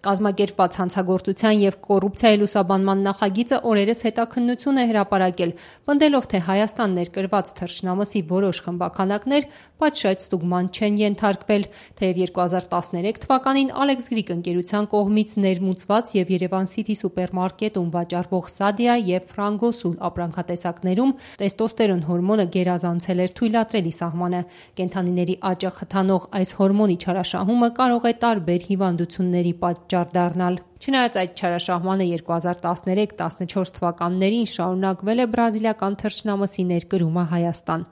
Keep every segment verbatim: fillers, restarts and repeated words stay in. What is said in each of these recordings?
Կազմակերպված հանցագործության և կոռուպցիայի լուսաբանման նախագիծը օրերս հետաքննություն է հրապարակել, պնդելով, թե Հայաստան ներկրված թռչնամսի որոշ խմբաքանակներ պատշաճ ստուգման չեն ենթարկվել, թեև երկու հազար տասներեք թվականին Alex Greek ընկերության կողմից ներմուծված և Երևան City սուպերմարկետում վաճառվող Sadia և Frangossul ապրանքատեսակներում տեստոստերոն հորմոնը գերազանցել էր թույլատրելի սահմանը։ Կենդանիների աճը խթանող այս հորմոնի չարաշահումը կարող է տարբեր հիվանդությունների պատճառ դառնալ։ Չնայած այդ չարաշահմանը երկու հազար տասներեք տասնչորս թվականներին շարունակվել է բրազիլական թռչնամսի ներկրումը Հայաստան։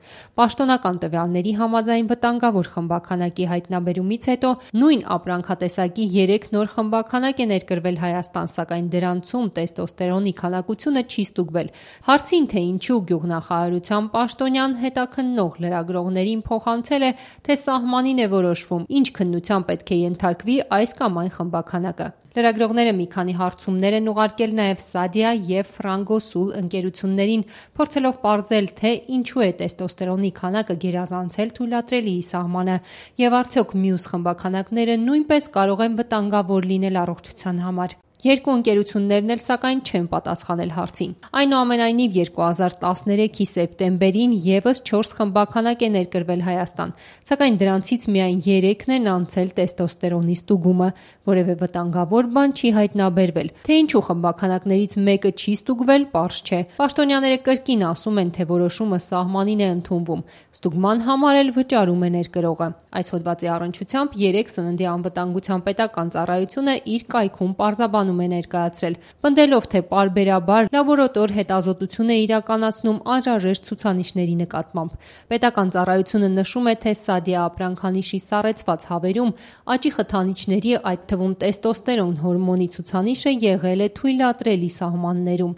Պաշտոնական տվյալների համաձայն վտանգավոր խմբաքանակի հայտնաբերումից հետո նույն ապրանքատեսակի երեք նոր խմբաքանակ է ներկրվել Հայաստան, սակայն դրանցում տեստոստերոնի քանակությունը չի ստուգվել։ Հարցին, թե ինչու գյուղնախարարության պաշտոնյան հետաքննող լրագրողներին փոխանցել է, թե սահմանին է որոշվում՝ ինչ քննության պետք է ենթարկվի այս կամ այն խմբաքանակը։ Լրագրողները մի քանի հարցումներ են ուղարկել նաև Sadia և Frangossul ընկերություններին, փորձելով պարզել, թե ինչու է տեստոստերոնի քանակը գերազանցել թույլատրելիի սահմանը և արդյոք մյուս խմբաքանակները նույնպես կարող են վտանգավոր լինել առողջության համար։ Երկու ընկերություններն էլ սակայն չեն պատասխանել հարցին։ Այնուամենայնիվ, երկու հազար տասներեքի սեպտեմբերին ևս չորս խմբաքանակ է ներկրվել Հայաստան, սակայն դրանցից միայն երեքն են անցել տեստոստերոնի ստուգումը։ Որևէ վտանգավոր բան չի հայտնաբերվել։ Թե ինչու խմբաքանակներից մեկը չի ստուգվել, պարզ չէ։ Պաշտոնյաները կրկին ասում են, թե որոշումը սահմանին է ընդունվում։ Ստուգման համար էլ վճարում է ներկրողը։ Այս հոդվածի առնչությամբ երեկ Սննդի անվտանգության պետական ծառայությունը իր կայքում պարզաբանում է ներկայացրել, պնդելով, թե պարբերաբար լաբորատոր հետազոտություն է իրականացնում անհրաժեշտ ցուցանիշների նկատմամբ։ Պետական ծառայությունը նշում է, թե Sadia ապրանքանիշի սառեցված հավերում աճի խթանիչների, այդ թվում տեստոստերոն հորմոնի ցուցանիշը եղել է թույլատրելի սահմաններում։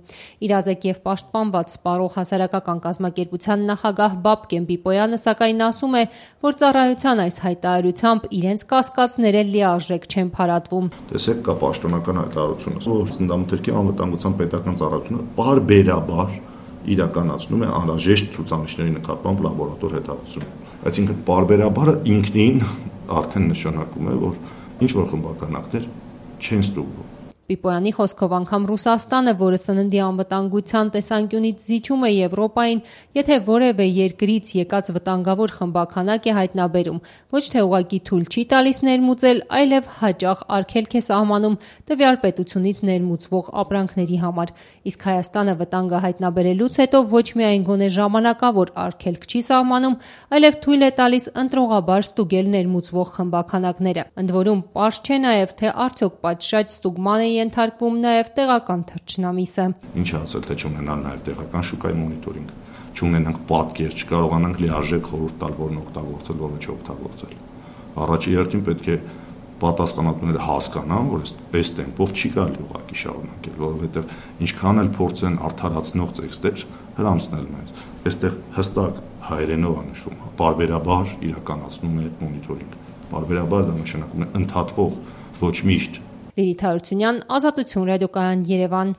Իրազեկ և պաշտպանված սպառող հասարակական կազմակերպության նախագահ Բաբկեն Պիպոյանը սակայն ասում է, որ ծառայության այս հայտարարությամբ իրենց կասկածները լիարժեք չեն փարատվում։ Տեսեք, կա պաշտոնական հայտարարությունը, որ Սննդամթերքի անվտանգության պետական ծառայությունը պարբերաբար իրականացնում է անհրաժեշտ ցուցանիշների նկատմամբ լաբորատոր հետազոտություն։ Այսինքն պարբերաբարը ինքնին արդեն նշանակում է, որ ինչ որ խմբաքանակներ չեն ստուգվում։ Պիպոյանի խոսքով անգամ Ռուսաստանը, որը սննդի անվտանգության տեսանկյունից զիջում է Եվրոպային, եթե որևէ երկրից եկած վտանգավոր խմբաքանակ է հայտնաբերում, ոչ թե ուղղակի թույլ չի տալիս ներմուծել, այլև հաճախ արգելք է սահմանում տվյալ պետությունից ներմուծվող ապրանքների համար։ Իսկ Հայաստանը վտանգը հայտնաբերելուց հետո ոչ միայն գոնե ժամանակավոր արգելք չի սահմանում, այլև թույլ է տալիս ընտրողաբար ստուգել ներմուծվող խմբաքանակները։ Ընդ որում, պարզ չէ նաև, թե արդյոք պատշաճ ստուգման է ենթարկվում նաև տեղական թռչնամիսը։ Ինչ ասել, թե չունենալ նաև տեղական շուկայի մոնիտորինգ, չունենանք պատկեր, չկարողանանք լիարժեք խորհուրդ տալ, որն օգտագործել, որը չօգտագործել։ Առաջի հերթին պետք է պատասխանատուները հասկանան, որ այս տեմպով չի կարելի ուղղակի շարունակել, որովհետև ինչքան էլ փորձեն արդարացնող տեքստեր հրամցնել մեզ, այստեղ հստակ հայերենով է նշվում, պարբերաբար իրականացնում է մոնիտորինգ։ Պարբերաբար դա նշանակում է ընդհատվող, ոչ միշտ։ Լիլիթ Հարությունյան, Ազատություն ռադիոկայան, Երևան։